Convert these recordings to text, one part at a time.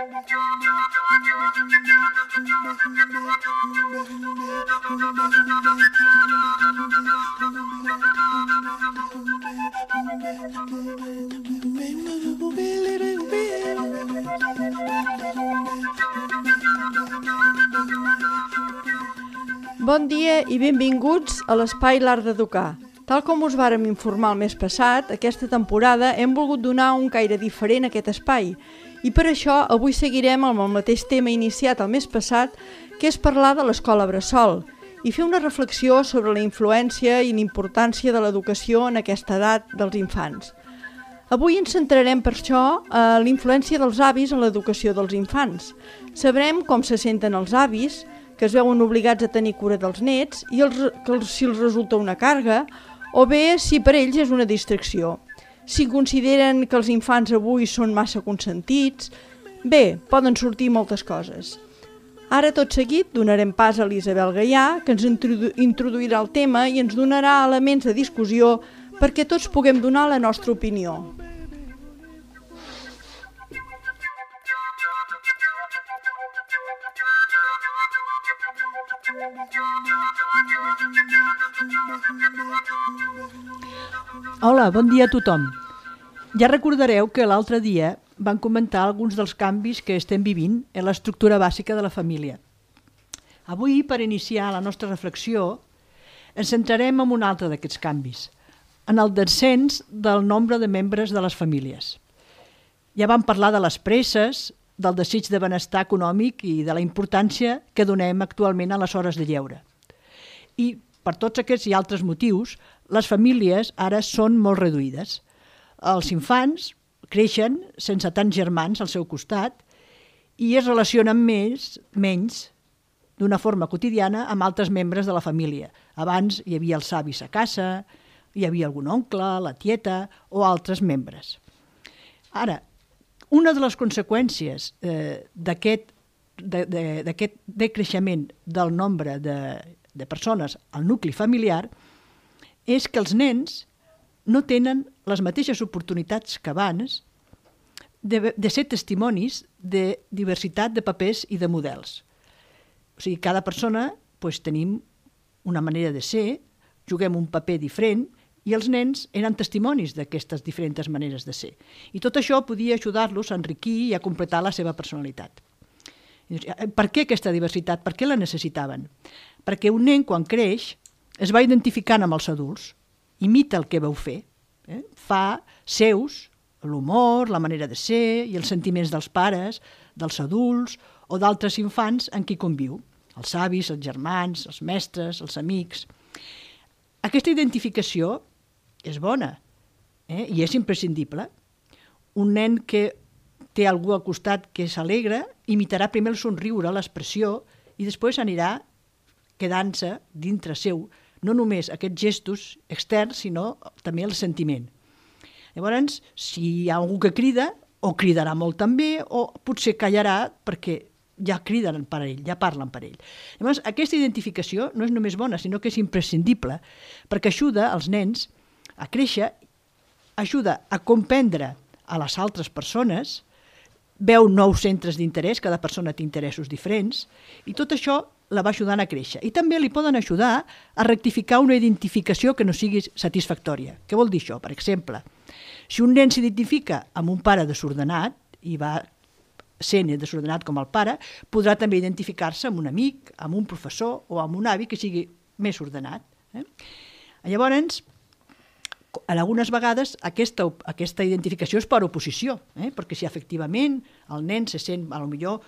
Bon dia i benvinguts a l'Espai L'Art d'Educar. Tal com us vàrem informar el mes passat, aquesta temporada hem volgut donar un caire diferent a aquest espai i per això avui seguirem amb el mateix tema iniciat el mes passat, que és parlar de l'escola bressol i fer una reflexió sobre la influència i l'importància de l'educació en aquesta edat dels infants. Avui ens centrarem per això a la influència dels avis en l'educació dels infants. Sabrem com se senten els avis, que es veuen obligats a tenir cura dels nets i si els resulta una càrrega, o bé si per ells és una distracció. Si consideren que els infants avui són massa consentits, bé, poden sortir moltes coses. Ara tot seguit donarem pas a l'Isabel Gaià, que ens introduirà el tema i ens donarà elements de discussió perquè tots puguem donar la nostra opinió. Hola, bon dia a tothom. Ja recordareu que l'altre dia van comentar alguns dels canvis que estem vivint en l'estructura bàsica de la família. Avui, per iniciar la nostra reflexió, ens centrarem en un altre d'aquests canvis, en el descens del nombre de membres de les famílies. Ja vam parlar de les presses, del desig de benestar econòmic i de la importància que donem actualment a les hores de lleure. I per tots aquests i altres motius, les famílies ara són molt reduïdes. Els infants creixen sense tants germans al seu costat i es relacionen menys d'una forma quotidiana amb altres membres de la família. Abans hi havia els avis a casa, hi havia algun oncle, la tieta o altres membres. Ara, una de les conseqüències d'aquest decreixement del nombre de persones al nucli familiar és que els nens no tenen les mateixes oportunitats que abans de ser testimonis de diversitat de papers i de models. O sigui, cada persona tenim una manera de ser, juguem un paper diferent i els nens eren testimonis d'aquestes diferents maneres de ser. I tot això podia ajudar-los a enriquir i a completar la seva personalitat. Per què aquesta diversitat? Per què la necessitaven? Perquè un nen, quan creix, es va identificant amb els adults, imita el que vau fer, fa seus l'humor, la manera de ser i els sentiments dels pares, dels adults o d'altres infants en qui conviu, els avis, els germans, els mestres, els amics. Aquesta identificació és bona i és imprescindible. Un nen que té algú al costat que s'alegra imitarà primer el somriure, l'expressió i després anirà quedant-se dintre seu no només aquests gestos externs, sinó també el sentiment. Llavors, si hi ha algú que crida, o cridarà molt també, o potser callarà perquè ja criden per ell, ja parlen per ell. Llavors, aquesta identificació no és només bona, sinó que és imprescindible, perquè ajuda els nens a créixer, ajuda a comprendre a les altres persones, veu nous centres d'interès, cada persona té interessos diferents, i tot això la va ajudant a créixer. I també li poden ajudar a rectificar una identificació que no sigui satisfactòria. Què vol dir això? Per exemple, si un nen s'identifica amb un pare desordenat i va sent desordenat com el pare, podrà també identificar-se amb un amic, amb un professor o amb un avi que sigui més ordenat. Llavors, algunes vegades aquesta identificació és per oposició, perquè si efectivament el nen se sent potser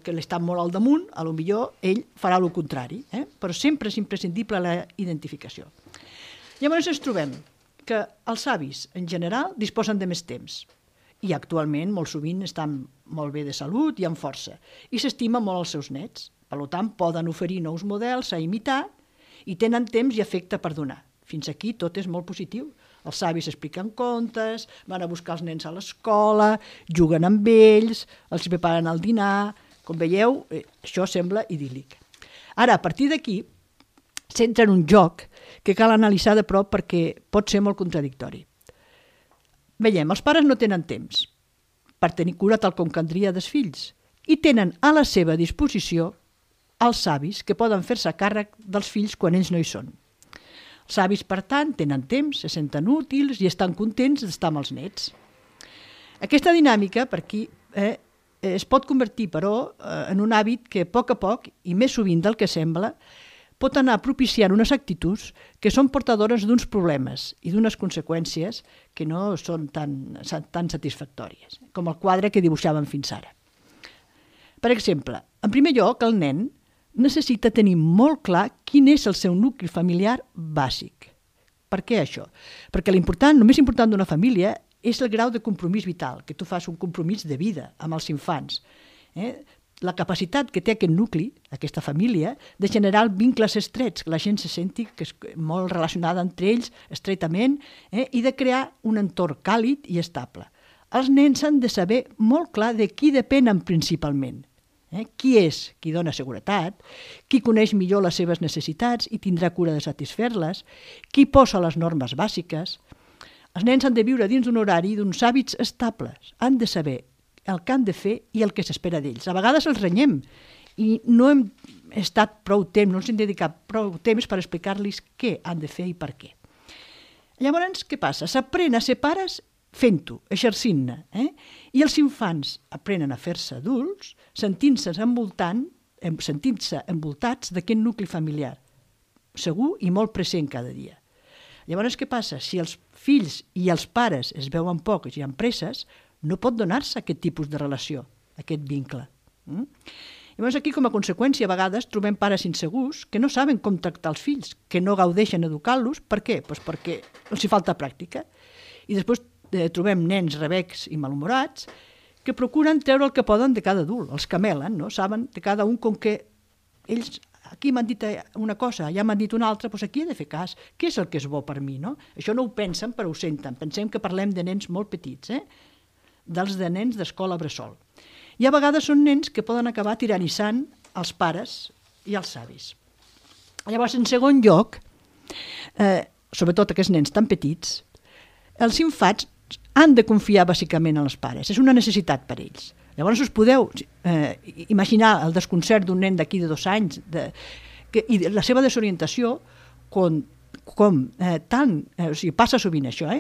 que l'està molt al damunt, potser ell farà el contrari, però sempre és imprescindible la identificació. Llavors ens trobem que els avis en general disposen de més temps i actualment molt sovint estan molt bé de salut i amb força i s'estimen molt els seus nets, per tant poden oferir nous models a imitar i tenen temps i afecte per donar. Fins aquí tot és molt positiu. Els avis expliquen contes, van a buscar els nens a l'escola, juguen amb ells, els preparen el dinar. Com veieu, això sembla idíl·lic. Ara, a partir d'aquí, s'entra en un joc que cal analitzar de prop perquè pot ser molt contradictori. Veiem, els pares no tenen temps per tenir cura tal com caldria dels fills i tenen a la seva disposició els avis que poden fer-se càrrec dels fills quan ells no hi són. Els avis, per tant, tenen temps, se senten útils i estan contents d'estar amb els nets. Aquesta dinàmica, per aquí, es pot convertir, però, en un hàbit que a poc, i més sovint del que sembla, pot anar propiciant unes actituds que són portadores d'uns problemes i d'unes conseqüències que no són tan satisfactòries, com el quadre que dibuixàvem fins ara. Per exemple, en primer lloc, el nen necessita tenir molt clar quin és el seu nucli familiar bàsic. Per què això? Perquè el més important d'una família és el grau de compromís vital, que tu fas un compromís de vida amb els infants. La capacitat que té aquest nucli, aquesta família, de generar vincles estrets, que la gent se senti que és molt relacionada entre ells, estretament, i de crear un entorn càlid i estable. Els nens han de saber molt clar de qui depenen principalment. Qui és qui dona seguretat, qui coneix millor les seves necessitats i tindrà cura de satisfer-les, qui posa les normes bàsiques. Els nens han de viure dins d'un horari i d'uns hàbits estables. Han de saber el que han de fer i el que s'espera d'ells. A vegades els renyem i no hem estat prou temps, no els hem dedicat prou temps per explicar-los què han de fer i per què. Llavors, què passa? S'aprèn a ser pares fent-ho, exercint-ne. I els infants aprenen a fer-se adults sentint-se envoltats d'aquest nucli familiar, segur i molt present cada dia. Llavors, què passa? Si els fills i els pares es veuen pocs i amb presses, no pot donar-se aquest tipus de relació, aquest vincle. Llavors, aquí, com a conseqüència, a vegades trobem pares insegurs que no saben com tractar els fills, que no gaudeixen educant-los. Per què? Perquè els hi falta pràctica. I després trobem nens rebecs i malhumorats que procuren treure el que poden de cada adult, els camelen, no? Saben de cada un com que ells, aquí m'han dit una cosa, allà m'han dit una altra, doncs aquí he de fer cas, què és el que és bo per mi, no? Això no ho pensen, però ho senten. Pensem que parlem de nens molt petits, dels de nens d'escola bressol. I a vegades són nens que poden acabar tiranitzant els pares i els avis. Llavors, en segon lloc, sobretot aquests nens tan petits, els infants han de confiar bàsicament en els pares. És una necessitat per ells. Llavors us podeu imaginar el desconcert d'un nen d'aquí de 2 anys i la seva desorientació passa sovint això,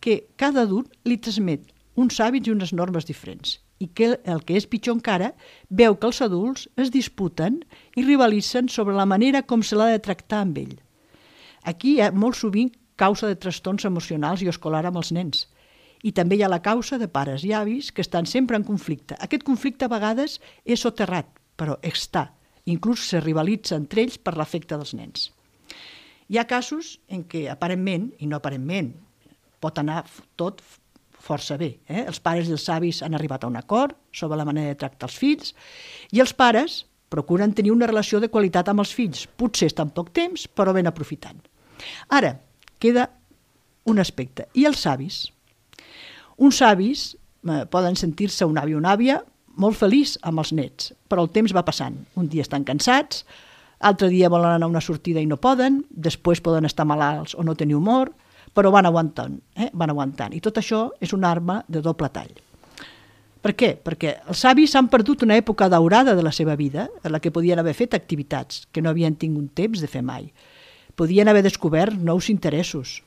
que cada adult li transmet uns hàbits i unes normes diferents i que el que és pitjor encara veu que els adults es disputen i rivalitzen sobre la manera com se l'ha de tractar amb ell. Aquí hi ha molt sovint causa de trastorns emocionals i escolar amb els nens. I també hi ha la causa de pares i avis que estan sempre en conflicte. Aquest conflicte a vegades és soterrat, però està. Inclús se rivalitza entre ells per l'afecte dels nens. Hi ha casos en què aparentment, i no aparentment, pot anar tot força bé. Els pares i els avis han arribat a un acord sobre la manera de tractar els fills i els pares procuren tenir una relació de qualitat amb els fills. Potser està en poc temps, però ben aprofitant. Ara, queda un aspecte. I els avis? Uns avis poden sentir-se un avi o una àvia molt feliç amb els nets, però el temps va passant. Un dia estan cansats, altre dia volen anar a una sortida i no poden, després poden estar malalts o no tenir humor, però van aguantant. I tot això és una arma de doble tall. Per què? Perquè els avis han perdut una època daurada de la seva vida en la que podien haver fet activitats que no havien tingut temps de fer mai. Podien haver descobert nous interessos,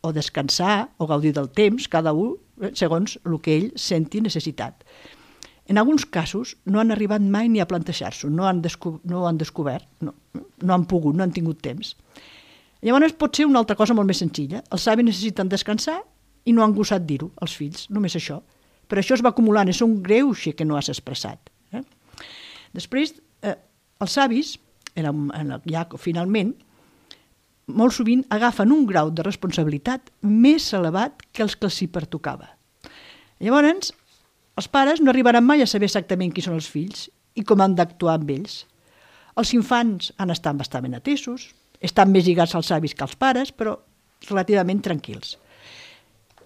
o descansar o gaudir del temps, cada un segons el que ell senti necessitat. En alguns casos no han arribat mai ni a plantejar-s'ho, no han descobert, no han pogut, no han tingut temps. Llavors pot ser una altra cosa molt més senzilla. Els avis necessiten descansar i no han gosat dir-ho als fills, només això. Però això es va acumulant, és un greuge que no has expressat. Després, els avis, ja finalment, molt sovint agafen un grau de responsabilitat més elevat que els que els hi pertocava. Llavors, els pares no arribaran mai a saber exactament qui són els fills i com han d'actuar amb ells. Els infants han estat bastant atesos, estan més lligats als avis que als pares, però relativament tranquils.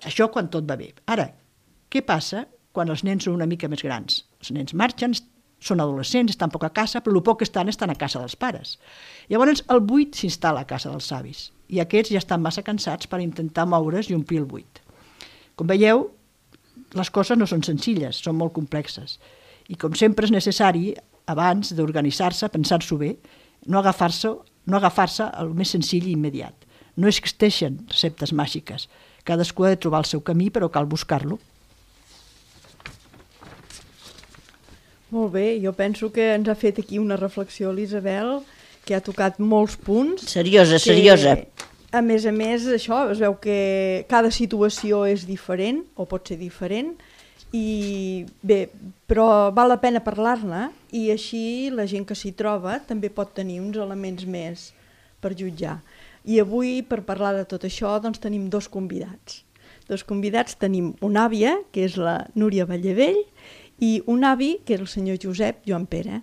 Això quan tot va bé. Ara, què passa quan els nens són una mica més grans? Els nens marxen, són adolescents, estan poc a casa, però el poc que estan a casa dels pares. Llavors el buit s'instal·la a casa dels avis i aquests ja estan massa cansats per intentar moure's i omplir el buit. Com veieu, les coses no són senzilles, són molt complexes. I com sempre és necessari, abans d'organitzar-se, pensar-s'ho bé, no agafar-se el més senzill i immediat. No existeixen receptes màgiques. Cadascú ha de trobar el seu camí, però cal buscar-lo. Molt bé, jo penso que ens ha fet aquí una reflexió l'Isabel, que ha tocat molts punts. Seriosa. A més, això, es veu que cada situació és diferent, o pot ser diferent, i bé, però val la pena parlar-ne, i així la gent que s'hi troba també pot tenir uns elements més per jutjar. I avui, per parlar de tot això, doncs tenim dos convidats. Tenim una àvia, que és la Núria Vallavell, i un avi, que és el senyor Josep Joan Pere.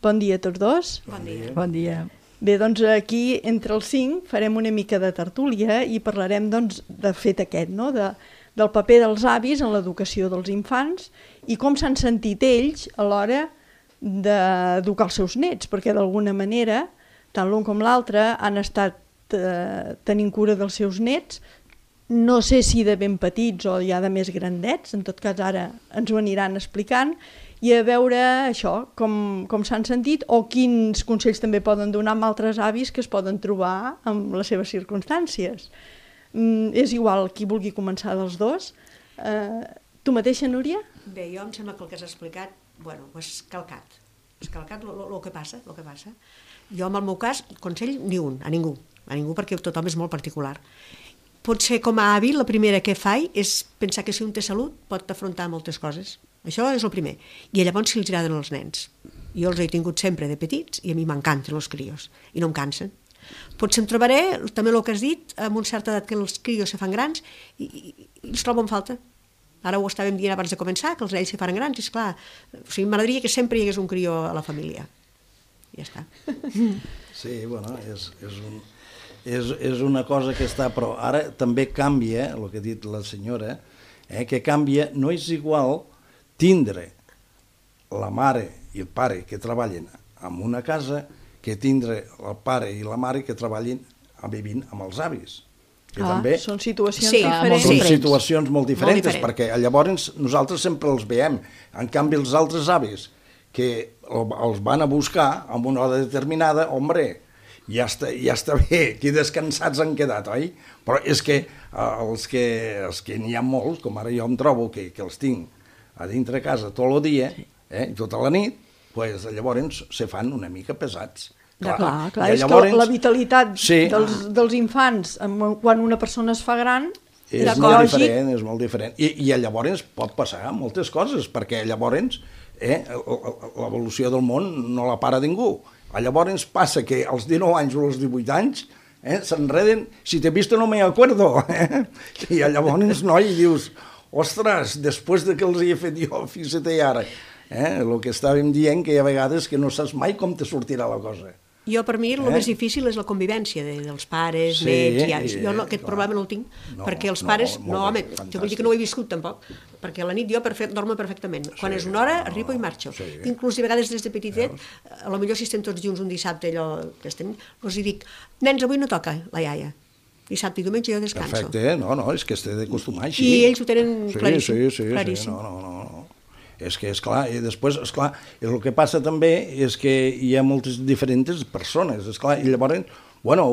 Bon dia a tots dos. Bon dia. Bon dia. Bé, doncs aquí, entre els 5, farem una mica de tertúlia i parlarem, doncs, de fet aquest, no?, del paper dels avis en l'educació dels infants i com s'han sentit ells a l'hora d'educar els seus nets, perquè d'alguna manera, tant l'un com l'altre han estat tenint cura dels seus nets, no sé si de ben petits o ja de més grandets, en tot cas ara ens ho aniran explicant, i a veure això, com s'han sentit o quins consells també poden donar amb altres avis que es poden trobar en les seves circumstàncies. És igual qui vulgui començar dels dos. Tu mateixa, Núria? Bé, jo em sembla que el que has explicat, bueno, ho has calcat. Has calcat el que passa, el que passa. Jo, en el meu cas, consell ni un, a ningú, perquè tothom és molt particular. Potser com a avi, la primera que faig és pensar que si un té salut pot afrontar moltes coses. Això és el primer. I llavors si els agraden els nens. Jo els he tingut sempre de petits i a mi m'encanten els crios i no em cansen. Potser em trobaré, també el que has dit, amb una certa edat que els crios se fan grans i els trobo en falta. Ara ho estàvem dient abans de començar, que els nens se fan grans, i esclar, o sigui, m'agradaria que sempre hi hagués un crió a la família. Ja està. Sí, bueno, és una cosa que està, però ara també canvia, el que ha dit la senyora, que canvia, no és igual tindre la mare i el pare que treballen en una casa que tindre el pare i la mare que treballin vivint amb els avis. Que també són situacions diferents. Són situacions molt diferents, perquè llavors nosaltres sempre els veiem. En canvi, els altres avis que els van a buscar en una hora determinada, hombre, ja està bé, que descansats han quedat, oi? Però és que els que n'hi ha molts, com ara jo em trobo, que els tinc a dintre casa tot el dia, tota la nit, pues, llavors se fan una mica pesats. Clar, és que la vitalitat dels infants quan una persona es fa gran és molt diferent. I llavors pot passar moltes coses, perquè llavors l'evolució del món no la para ningú. Llavors passa que als 19 anys o als 18 anys s'enreden, si t'he vist no me acuerdo. I llavors, noi, dius, ostres, després de que els hi he fet jo, fixa't ara. El que estàvem dient, que hi ha vegades que no saps mai com te sortirà la cosa. Jo, per mi, el més difícil és la convivència dels pares, nets i avis. Jo aquest problema no el tinc, perquè els pares... No, home, jo vull dir que no ho he viscut, tampoc, perquè a la nit jo dormo perfectament. Quan és una hora, arribo i marxo. Inclús, a vegades, des de petitet, a lo millor si estem tots junts un dissabte, els hi dic, nens, avui no toca la iaia. Dissabte i diumenge jo descanso. Perfecte, no, és que has d'acostumar així. I ells ho tenen claríssim. Sí, no. És que, esclar, i després, esclar, el que passa també és que hi ha moltes diferents persones, esclar, i llavors, bueno,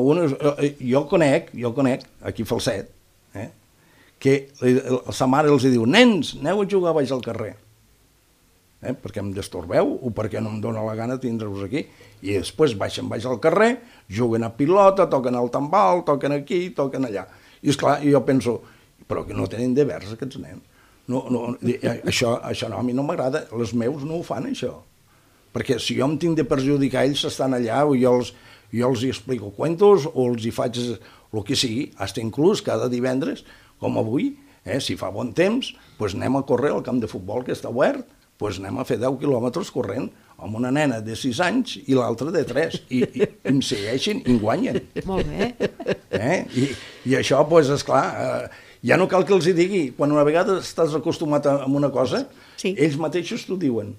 jo conec, aquí a Falset, que sa mare els diu, nens, aneu a jugar baix al carrer, perquè em destorbeu o perquè no em dóna la gana tindre-vos aquí, i després baixen baix al carrer, juguen a pilota, toquen al tambal, toquen aquí, toquen allà. I esclar, jo penso, però que no tenen devers aquests nens. No, això no, a mi no m'agrada, els meus no ho fan, això. Perquè si jo em tinc de perjudicar, ells estan allà, o jo els hi explico cuentos, o els hi faig el que sigui, fins inclús cada divendres, com avui, si fa bon temps, doncs anem a córrer al camp de futbol que està obert, doncs anem a fer 10 quilòmetres corrent, amb una nena de 6 anys i l'altra de 3, i em segueixen i em guanyen. Molt bé. I això, doncs, esclar, ja no cal que els hi digui. Quan una vegada estàs acostumat a una cosa, Sí. ells mateixos t'ho diuen.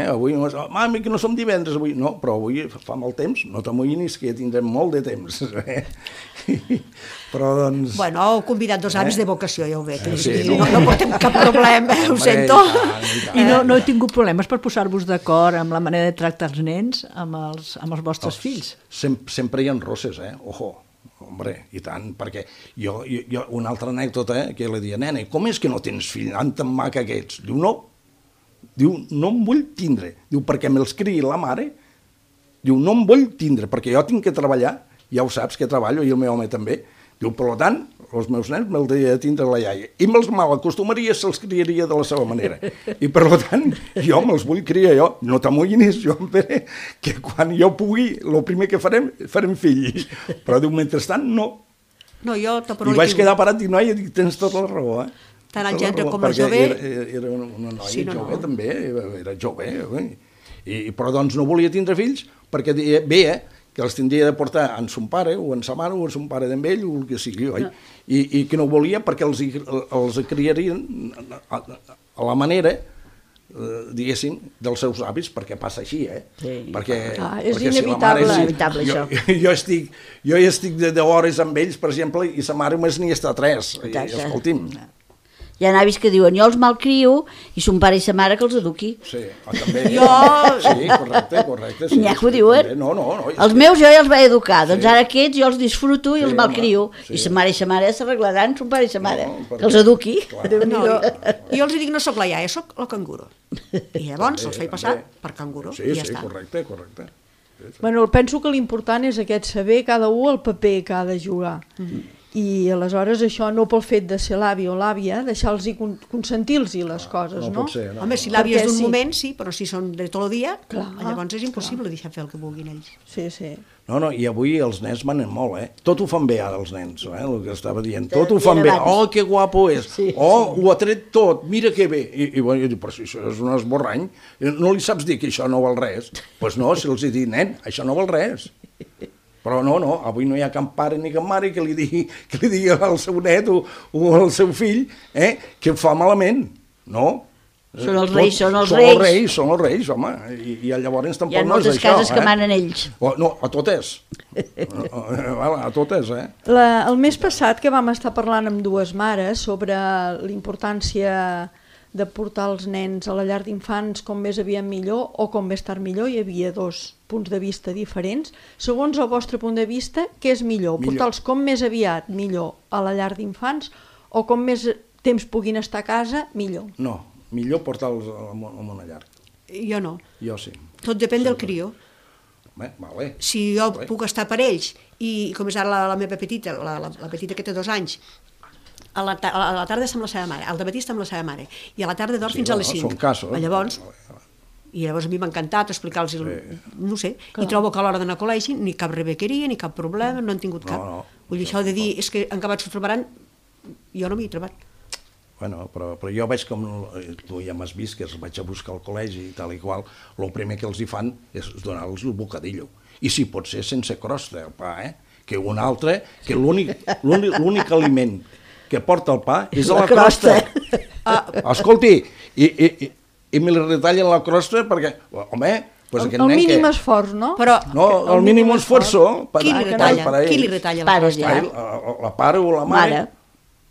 Avui no és, mami, que no som divendres avui. No, però avui fa molt temps, no t'amoïnis, que ja tindrem molt de temps. Però, doncs... Bueno, heu convidat 2 avis de vocació, ja ho veig. Sí, No portem cap problema, ho sento. I no he tingut problemes per posar-vos d'acord amb la manera de tractar els nens amb els vostres fills. Sempre hi ha rosses, Ojo. Hombre, i tant, perquè jo una altra anècdota, que li deia, nena, com és que no tens fill tan maca que ets? Diu, no. Diu, no em vull tindre. Diu, perquè me'ls criï la mare. Diu, no em vull tindre, perquè jo tinc que treballar, ja ho saps que treballo, i el meu home també. Diu, per tant, els meus nens me'ls he de tindre la iaia. I me'ls mal acostumaria, se'ls criaria de la seva manera. I per tant, jo me'ls vull criar jo. No t'amoïnis, jo em faré que quan jo pugui, el primer que farem fills. Però diu, mentrestant, no. No, jo I vaig quedar parat i noia, dic, tens tota la raó, Tant el gendre com el perquè jove... Era una noia Sí, jove, també, era jove. Però doncs no volia tindre fills perquè veia que els tindria de portar en son pare, o en sa mare, o en son pare d'en ell, o el que sigui, oi? I que no volia perquè els criarien a la manera, diguéssim, dels seus avis, perquè passa així, Sí. Perquè és si la inevitable. mare, Inevitable, això. jo hi estic de hores amb ells, per exemple, i sa mare només n'hi està 3. I, escolti'm, Hi ha avis que diuen, jo els malcrio i son pare i sa mare que els eduqui. sí, també... Jo- Sí, correcte. Sí, N'hi ha que ho diuen. No, Els meus jo ja els vaig educar, doncs ara aquests jo els disfruto i Sí, els malcrio. home, sí. I sa mare i sa mare s'arreglaran, son pare i sa mare, perquè- que els eduqui. Clar. No, jo els dic, no sóc la iaia, sóc el canguro. I llavors els faig passar per canguro, Sí, i ja sí, està. correcte. Bueno, penso que l'important és aquest saber cada un el paper que ha de jugar. I aleshores això no pel fet de ser l'avi o l'àvia, deixar-los consentir-los les coses, no? pot ser, no. Home, si l'àvia és Perquè d'un sí. moment, sí, però si són de tot el dia, Clar, llavors és impossible deixar fer el que vulguin ells. Sí, sí. No, i avui els nens manen molt, Tot ho fan bé ara, els nens, el que estava dient. Tot ho fan bé. Oh, que guapo és. Ho ha tret tot, mira que bé. I bueno, jo dic, però si això és un esborrany, no li saps dir que això no val res? Doncs no, si els hi dic, nen, això no val res. Però no, avui no hi ha cap pare ni cap mare que li digui al seu net o al seu fill que ho fa malament, no? Són els reis, són els reis. Són els reis, home, i llavors tampoc Hi ha no és moltes això. cases que manen ells. No, a totes. A totes, El mes passat que vam estar parlant amb 2 mares sobre la importància de portar els nens a la llar d'infants com més aviat millor o com més tard millor, hi havia 2 punts de vista diferents. Segons el vostre punt de vista, què és millor? Portar-los com més aviat millor a la llar d'infants o com més temps puguin estar a casa, millor? No, millor portar-los a una llar. Jo no. Jo sí. Tot depèn del crió. Vale. Si jo puc estar per ells, i com és ara la meva petita, la petita que té 2 anys, a la tarda està amb la seva mare, al dematí està amb la seva mare, i a la tarda dorm fins a les 5. Són casos. Llavors a mi m'ha encantat explicar-los, no sé, i trobo que a l'hora d'anar a col·legi ni cap rebequeria, ni cap problema, no han tingut cap. Vull dir, això de dir, és que en acabat s'ho trobaran, jo no m'hi he trobat. Bueno, però jo veig com, tu ja m'has vist, que els vaig a buscar al col·legi i tal i qual, el primer que els hi fan és donar-los el bocadillo. I si pot ser sense crosta, el pa, que un altre, que l'únic aliment que porta el pa és la crosta. Escolti, i me li retallen la crosta perquè, home, pues aquest el nen mínim que... esforç, no? Però No, el mínim esforço... qui li retalla la Pares crosta? ja. La pare o la mare.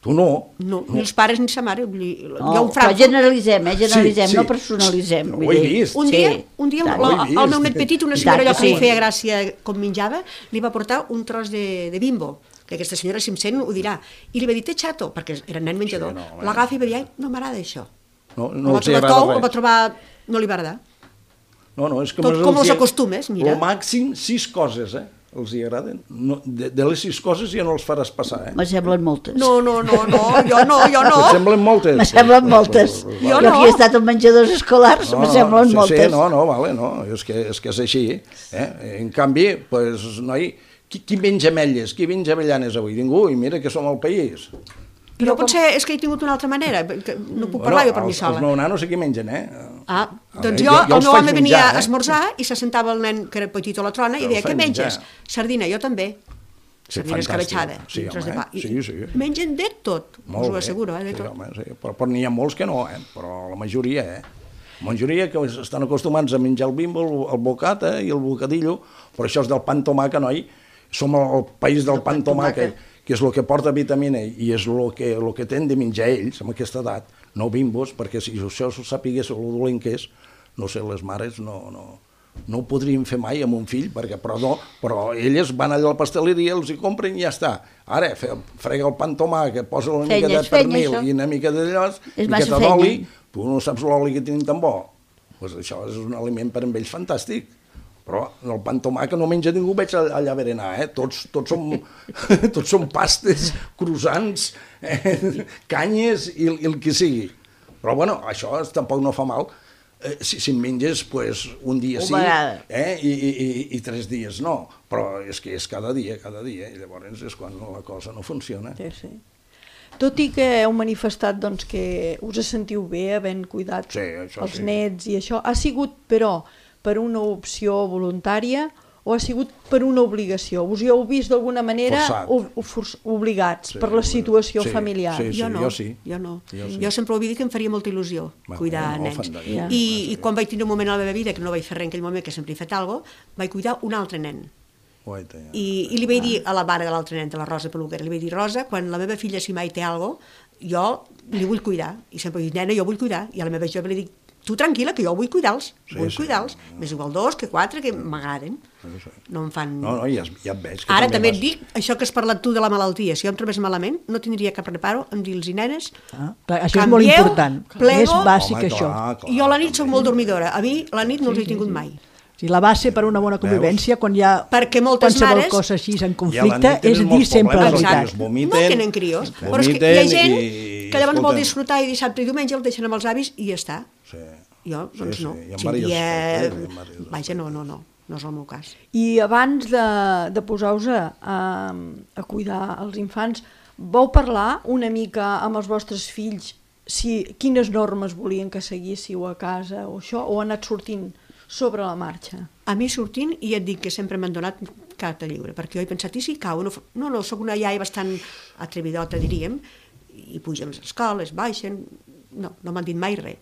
Tu no. No, ni els pares ni sa mare. Vull dir, No, hi ha un però Frankfurt. generalitzem, Sí. no personalitzem. No, ho he vist. Un dia el meu net petit, una senyora I tant allò que que li sí. feia gràcia com menjava, li va portar un tros de bimbo, que aquesta senyora, si em sent, ho dirà. I li va dir, té xato, perquè era nen menjador. Sí, no, L'agafa i va dir, ai, no m'agrada això. No El va els hi trobar agrada tou, el va res. trobar... no li va agradar. No, és que Tot com els acostumes, mira. El màxim 6 coses, els hi agraden. No, de les 6 coses ja no els faràs passar, Me semblen moltes. No, jo no. Et semblen moltes? Me semblen moltes. Jo Jo no. aquí he estat en menjadors escolars, me semblen sí, moltes. Sí, vale, no, és que és així. En canvi, pues, noi, qui menja ametlles, qui menja avellanes avui? Ningú, i mira que som al país. Jo potser és que he tingut una altra manera, que no puc parlar jo per mi sola. Els meus nanos aquí mengen, Doncs jo el els meu faig home venia menjar, a esmorzar i se sentava el nen que era petit a la trona i Jo deia, els què faig menges? menjar. Sardina, jo també. Sí, sardina escabetxada, sí, tros de home, pa. I sí. mengen de tot, us ho asseguro, de sí, tot. home, sí. Però n'hi ha molts que no, però la majoria, La majoria que estan acostumats a menjar el bimbo, el bocata i el bocadillo, però això és del pa amb tomàquet, noi. Som el país del pa amb tomàquet, que és el que porta vitamina i és el que tenen de menjar ells amb aquesta edat, no bimbos, perquè si això s'ho sapigués el dolent que és, no sé, les mares no ho podrien fer mai amb un fill, però elles van allà a la pasteleria, els hi compren i ja està. Ara, frega el pa amb tomàquet, posa una mica de pernil i una mica d'allò, i miqueta d'oli, tu no saps l'oli que tenen tan bo. Pues això és un aliment per a ells fantàstic. Però el pa amb tomàquet no menja ningú, veig allà berenar, Tots som pastes, croissants, canyes i el que sigui. Però bueno, això tampoc no fa mal. Si en menges un dia sí i 3 dies no, però és que és cada dia, i llavors és quan la cosa no funciona. Sí. Tot i que heu manifestat que us sentiu bé havent cuidat els nets i això, ha sigut, però, per una opció voluntària o ha sigut per una obligació? Us hi heu vist d'alguna manera obligats per la situació familiar? Jo no. Jo sempre ho havia dit que em faria molta il·lusió cuidar nens. I quan vaig tenir un moment a la meva vida que no vaig fer res en aquell moment, que sempre he fet alguna cosa, vaig cuidar un altre nen. I li vaig dir a la mare de l'altre nen, de la Rosa Peluquera, li vaig dir, Rosa, quan la meva filla si mai té alguna cosa, jo li vull cuidar. I sempre dic, nena, jo vull cuidar. I a la meva jove li dic, tu tranquil·la, que jo vull cuidar-los, més igual 2 que 4, que m'agraden. No em fan... No, ja et veig. Ara també et dic, això que has parlat tu de la malaltia, si jo em trobés malament, no tindria cap reparo en dir-los nenes, això és molt important, més bàsic això. Jo a la nit soc molt dormidora, a mi la nit no els he tingut mai. La base per una bona convivència, quan hi ha qualsevol cosa així en conflicte, és dir sempre la veritat. No tenen crios, però és que hi ha gent que llavors vol disfrutar i dissabte i diumenge el deixen amb els avis i ja està. Jo, doncs no. Vaja, no és el meu cas. I abans de posar-vos a cuidar els infants, vau parlar una mica amb els vostres fills quines normes volien que seguíssiu a casa o això, o ha anat sortint sobre la marxa? A mi sortint, i et dic que sempre m'han donat carta lliure, perquè jo he pensat, i si cau? No, soc una iaia bastant atrevidota, diríem, i pugen les escoles, baixen, no m'han dit mai res.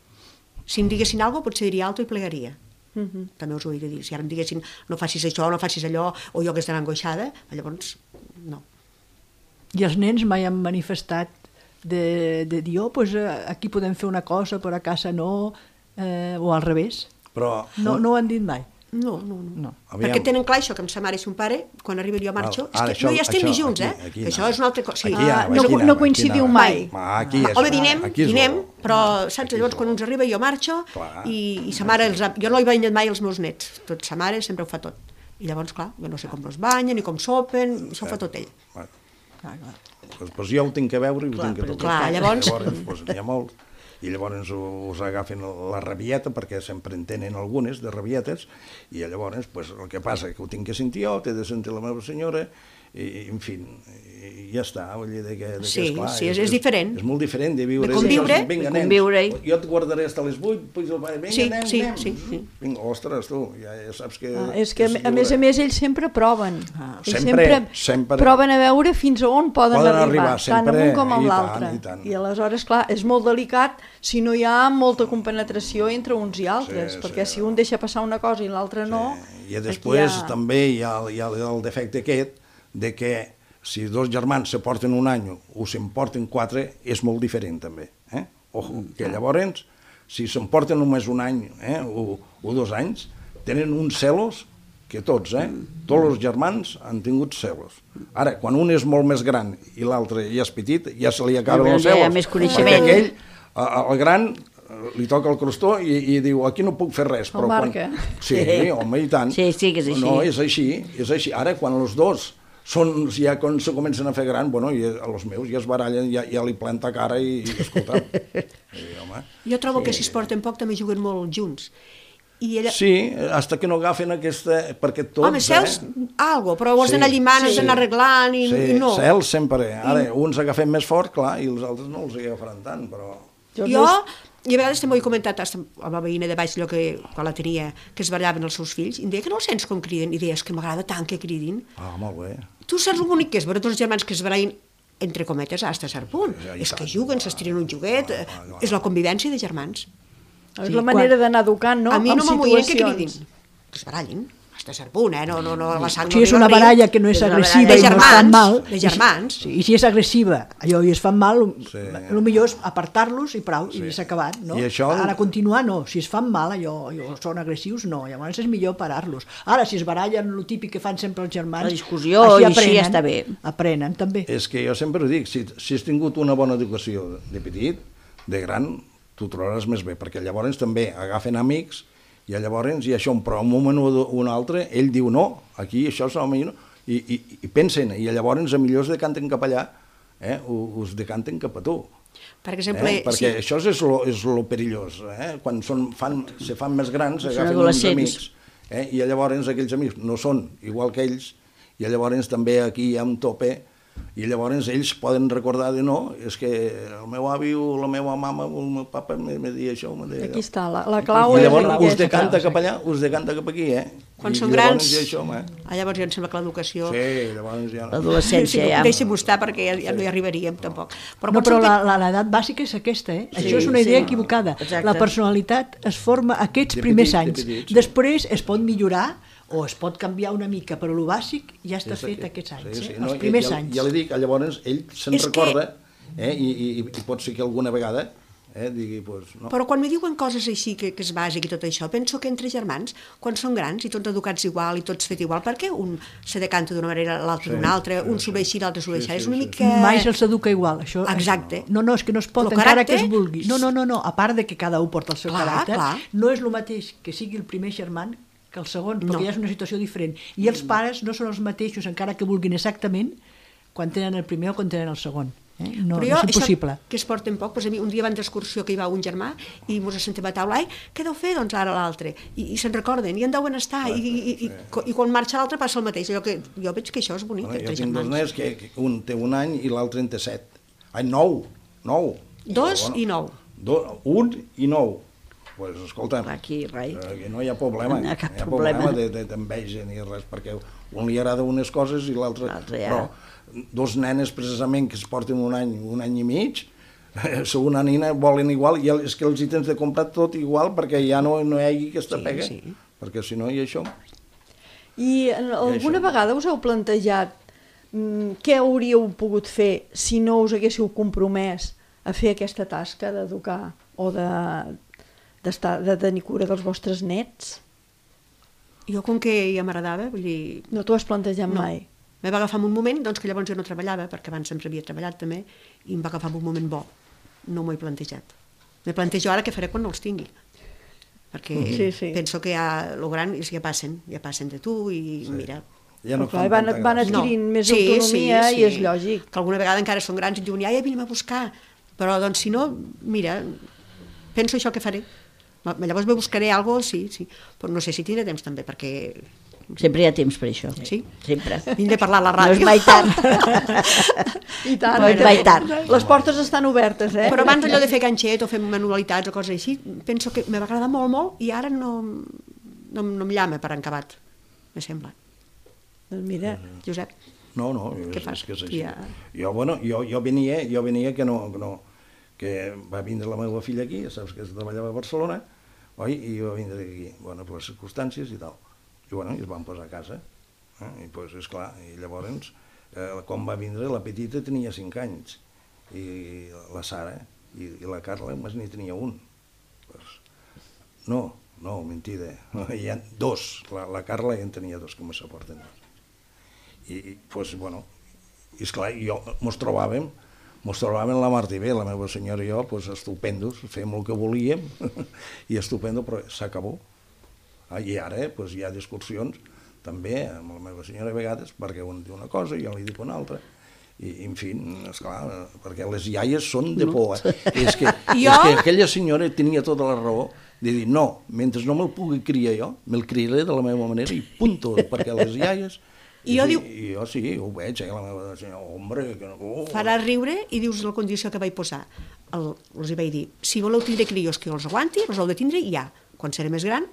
Si em diguessin alguna cosa, potser diria alto i plegaria. També us ho he de dir. Si ara em diguessin, no facis això, no facis allò, o jo que estarà angoixada, llavors, no. I els nens mai han manifestat de dir, aquí podem fer una cosa, però a casa no, o al revés? No ho han dit mai? No. Perquè tenen clar això, que amb sa mare i son pare, quan arriba jo marxo, és que no hi estem ni junts, que això és una altra cosa. No coincidiu mai. Home, dinem, però saps, llavors quan uns arriba jo marxo i sa mare, jo no hi banyat mai els meus nets, tot sa mare sempre ho fa tot. I llavors, clar, jo no sé com els banyen ni com sopen, això ho fa tot ell. Doncs jo ho tinc que veure i ho tinc que tocar. Clar, llavors... N'hi ha molts. I llavors us agafen la rabieta, perquè sempre en tenen algunes de rabietes, i llavors el que passa que ho tinc que sentir jo, t'he de sentir la meva senyora, i en fi, ja està. Sí, és diferent. És molt diferent de viure. De conviure. Jo et guardaré fins a les 8, vinga, nens. Vinga, ostres, tu, ja saps que... És que a més ells sempre proven. Sempre proven a veure fins a on poden arribar, tant amb un com amb l'altre. I aleshores, clar, és molt delicat si no hi ha molta compenetració entre uns i altres, perquè si un deixa passar una cosa i l'altre no... I després també hi ha el defecte aquest de que si 2 germans se porten un any o se'n porten 4, és molt diferent també. Ojo, que llavors, si se'n porten només un any o 2 anys, tenen uns celos que tots, tots els germans han tingut celos. Ara, quan un és molt més gran i l'altre ja és petit, ja se li acaben els celos. Hi ha més coneixement. Perquè aquell, el gran, li toca el crostó i diu, aquí no puc fer res. El marca. Sí, home, i tant. Sí, que és així. No, és així. Ara, quan els dos ja quan se comencen a fer gran, i els meus ja es barallen, ja li planta cara i escolta. Jo trobo que si es porten poc també juguen molt junts. Sí, hasta que no agafen aquesta... Perquè tots... Home, cels, algo, però ho has d'anar llimant, has d'anar arreglant i no. Sí, cels sempre. Ara, uns agafen més fort, clar, i els altres no els agafaran tant, però... Jo I a vegades també ho he comentat amb la veïna de baix, allò que, quan la tenia, que es barallaven els seus fills, i em deia que no els sents com criden, i deia, és que m'agrada tant que cridin. Ah, molt bé. Tu saps el bonic que és veure tots els germans que es barallin, entre cometes, fins a cert punt. Ja, És que juguen, s'estiren un joguet, és la convivència de germans. És la manera d'anar educant, no? A mi no m'amoïen que situacions. cridin, que es barallin. Fins a cert punt, no, la sang Si no és una arriba al riu. baralla que no és És una agressiva baralla i no es fan mal... de germans. Sí, i si és agressiva allò i es fan mal, Sí. el millor és apartar-los i prou, i s'ha acabat, no? I això- Ara continuar, no. Si es fan mal, allò són agressius, no. Llavors és millor parar-los. Ara, si es barallen, el típic que fan sempre els germans... La discussió, i així ja està bé. Aprenen, també. És que jo sempre ho dic, si has tingut una bona educació de petit, de gran, t'ho trobaràs més bé, perquè llavors també agafen amics, i llavors, i això, però un moment o un altre, ell diu no, aquí això és home, no, i pensen, i llavors millor es decanten cap allà, us decanten cap a tu. Per exemple, Perquè això és lo perillós, quan se fan més grans, Són agafen uns adolescents. amics, i llavors aquells amics no són igual que ells, i llavors també aquí hi ha un tope, i llavors ells poden recordar de no, és que el meu avi o la meva mama o el meu papa me deia això, me deia Aquí allò. està, la clau I és llavors us aquesta. decanta cap allà, us decanta cap aquí, quan I són llavors grans, hi ha això, llavors ja em sembla que l'educació... Sí, llavors ja no. L'adolescència ja... Deixem-ho estar perquè ja no hi arribaríem tampoc. No, però l'edat bàsica és aquesta, Això és una idea equivocada. Exacte. La personalitat es forma aquests De primers petit, de anys. petit, sí. Després es pot millorar o es pot canviar una mica, però el bàsic ja està fet aquests anys, els primers anys. Ja li dic, llavors ell se'n És recorda, i pot ser que alguna vegada digui, pues, no. Però quan me diuen coses així, que és bàsic i tot això, penso que entre germans, quan són grans i tots educats igual i tots fet igual, per què un se decanta d'una manera, l'altre d'una altra, un s'ho ve així, l'altre s'ho ve així? És una mica... Mai se'ls educa igual, això. Exacte. No, és que no es pot, Lo encara que caràcter- es vulgui. No, a part de que cada un porta el seu Clar, caràcter, clar. no és el mateix que sigui el primer germán que el segon, perquè No. ja és una situació diferent. I els pares no són els mateixos, encara que vulguin exactament, quan tenen el primer o quan tenen el segon. No, Però jo, és impossible. això que es porten poc, doncs a mi un dia van d'excursió que hi va un germà i mos assentem a taula, què deu fer doncs ara l'altre? I se'n recorden, i en deuen estar, i quan marxa l'altre passa el mateix, allò que jo veig que això és bonic, Jo entre tinc dos germans. nens que un té un any i l'altre en té 7. Ai, 9. 2 i 9. 1 i 9. Pues escolta, Aquí, rai. aquí no hi ha problema, No hi ha cap no hi ha problema. d'enveja ni res, perquè un li agrada unes coses i l'altre... L'altre ja. Però dos nenes precisament que es porten un any i mig, segona nina volen igual, i és que els hi tens de comprar tot igual perquè ja no hi hagi aquesta pega, perquè si no hi ha això... I alguna vegada us heu plantejat què hauríeu pogut fer si no us haguéssiu compromès a fer aquesta tasca d'educar o de tenir cura dels vostres nets? Jo, com que ja m'agradava, vull dir... No t'ho has plantejat mai? Me va agafar en un moment, doncs que llavors jo no treballava, perquè abans sempre havia treballat també, i em va agafar en un moment bo. No m'ho he plantejat. Me plantejo ara què faré quan no els tingui. Perquè penso que ja, lo gran és que ja passen de tu i mira... Ja no Clar, van adquirint més autonomia i és lògic. Que alguna vegada encara són grans i diuen, ja vinem a buscar. Però doncs si no, mira, penso això que faré. Llavors me buscaré alguna cosa, sí. Però no sé si tindré temps també, perquè... Sempre hi ha temps per això. Sí? Sempre. Vinc de parlar a la No ràdio. és mai tard. I tant, No és mai tard. Les portes estan obertes, Però abans allò de fer ganxet o fer manualitats o coses així, penso que me va agradar molt i ara no em llama per encabat, me sembla. Doncs mira, Josep. No, Què fas? és que és així. Ja. Jo venia que que va vindre la meva filla aquí, saps que treballava a Barcelona, oi? I va vindre aquí, bueno, per les circumstàncies i tal. I bueno, es van posar a casa. I pues, esclar, i llavors, quan va vindre, la petita tenia 5 anys, i la Sara, i la Carla només n'hi tenia un. Pues, no, mentida, hi ha 2, la Carla ja en tenia 2, que me s'aporten 2. I pues, bueno, i esclar, mos trobàvem la Marta i bé, la meva senyora i jo, pues, estupendos, fem el que volíem, i estupendo, però s'acabó. I ara pues, hi ha discussions també amb la meva senyora a vegades, perquè un diu una cosa i jo li dic una altra. I en fi, esclar, perquè les iaies són de por. És que aquella senyora tenia tota la raó de dir, no, mentre no me'l pugui criar jo, me'l criaré de la meva manera i punto, perquè les iaies I jo diu, I jo sí, ho veig, la meva senyora, hombre, que no... farà riure i dius la condició que vaig posar. Els hi vaig dir, si voleu tindre crios que els aguanti, els heu de tindre ja. Quan seré més gran,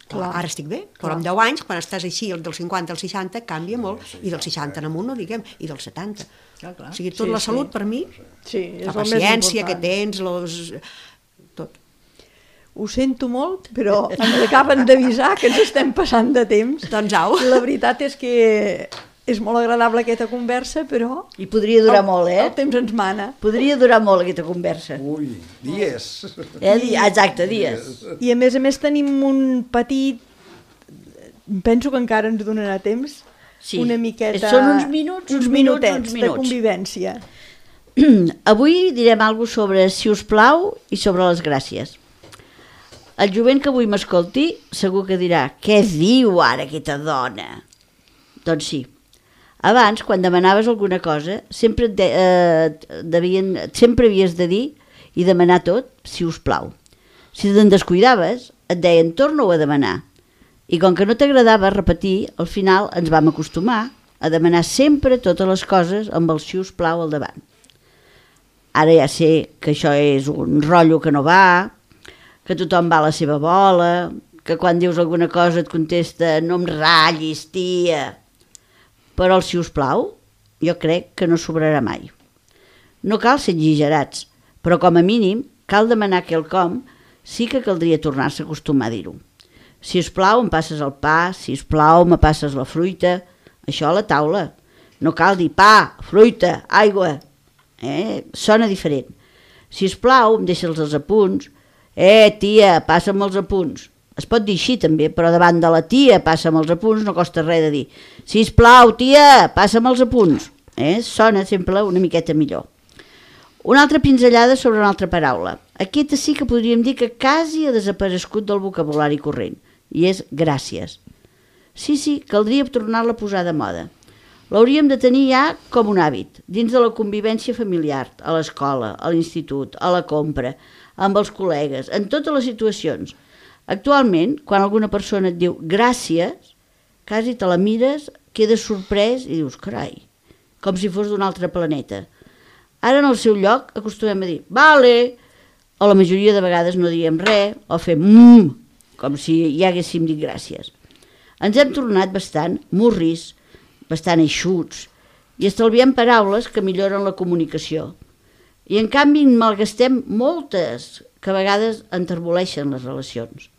clar, ara estic bé, però amb 10 anys, quan estàs així, el del 50 al 60, canvia molt, i del 60 en amunt, no diguem, i del 70. Clar. O sigui, tot la salut, per mi, Sí, és la el més paciència que important. tens, tot. Ho sento molt, però ens acaben d'avisar que ens estem passant de temps. Doncs au. La veritat és que és molt agradable aquesta conversa, però I podria durar molt, el temps ens mana. Podria durar molt aquesta conversa. Ui, dies. Exacte, dies. I a més tenim un petit... Penso que encara ens donarà temps. Sí. Una miqueta... Són uns minuts, uns minutets de convivència. Avui direm alguna sobre si us plau i sobre les gràcies. El jovent que avui m'escolti segur que dirà què diu ara aquesta dona? Doncs sí. Abans, quan demanaves alguna cosa, sempre havies de dir i demanar tot, si us plau. Si te'n descuidaves, et deien torna-ho a demanar. I com que no t'agradava repetir, al final ens vam acostumar a demanar sempre totes les coses amb el si us plau al davant. Ara ja sé que això és un rotllo que no va, que tothom va a la seva bola, que quan dius alguna cosa et contesta no em ratllis, tia. Però el si us plau, jo crec que no sobrarà mai. No cal ser exagerats, però com a mínim cal demanar quelcom, sí que caldria tornar-se a acostumar a dir-ho. Si us plau em passes el pa, si us plau me passes la fruita, això a la taula. No cal dir pa, fruita, aigua. Sona diferent. Si us plau em deixes els apunts. Tia, passa'm els apunts. Es pot dir així també, però davant de la tia passa'm els apunts no costa res de dir sisplau, tia, passa'm els apunts. Sona sempre una miqueta millor. Una altra pinzellada sobre una altra paraula. Aquesta sí que podríem dir que quasi ha desaparegut del vocabulari corrent, i és gràcies. Sí, caldria tornar-la a posar de moda. L'hauríem de tenir ja com un hàbit, dins de la convivència familiar, a l'escola, a l'institut, a la compra, amb els col·legues, en totes les situacions. Actualment, quan alguna persona et diu gràcies, quasi te la mires, quedes sorprès i dius, carai, com si fos d'un altre planeta. Ara en el seu lloc acostumem a dir vale, o la majoria de vegades no diem res, o fem com si ja haguéssim dit gràcies. Ens hem tornat bastant murris, bastant eixuts, i estalviem paraules que milloren la comunicació. I en canvi en malgastem moltes que a vegades enterboleixen les relacions.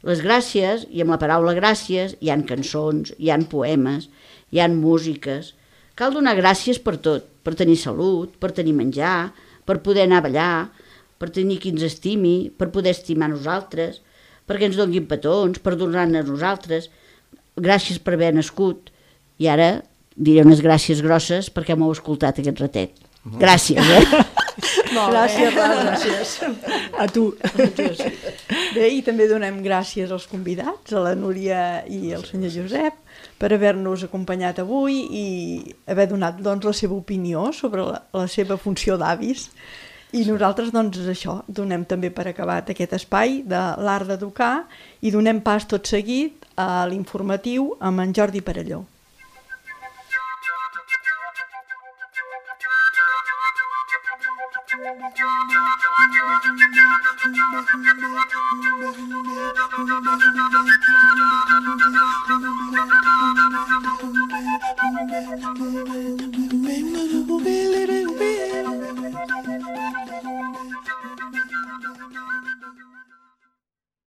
Les gràcies, i amb la paraula gràcies, hi han cançons, hi han poemes, hi han músiques. Cal donar gràcies per tot, per tenir salut, per tenir menjar, per poder anar a ballar, per tenir qui ens estimi, per poder estimar nosaltres, perquè ens donguin petons, per donar-ne a nosaltres. Gràcies per haver nascut. I ara diré unes gràcies grosses perquè m'heu escoltat aquest ratet. Gràcies, Gràcies, Rosa. Gràcies. A tu. Bé, i també donem gràcies als convidats, a la Núria i al senyor Josep, per haver-nos acompanyat avui i haver donat la seva opinió sobre la seva funció d'avis. I nosaltres, això, donem també per acabat aquest espai de l'art d'educar i donem pas tot seguit a l'informatiu amb en Jordi Perelló.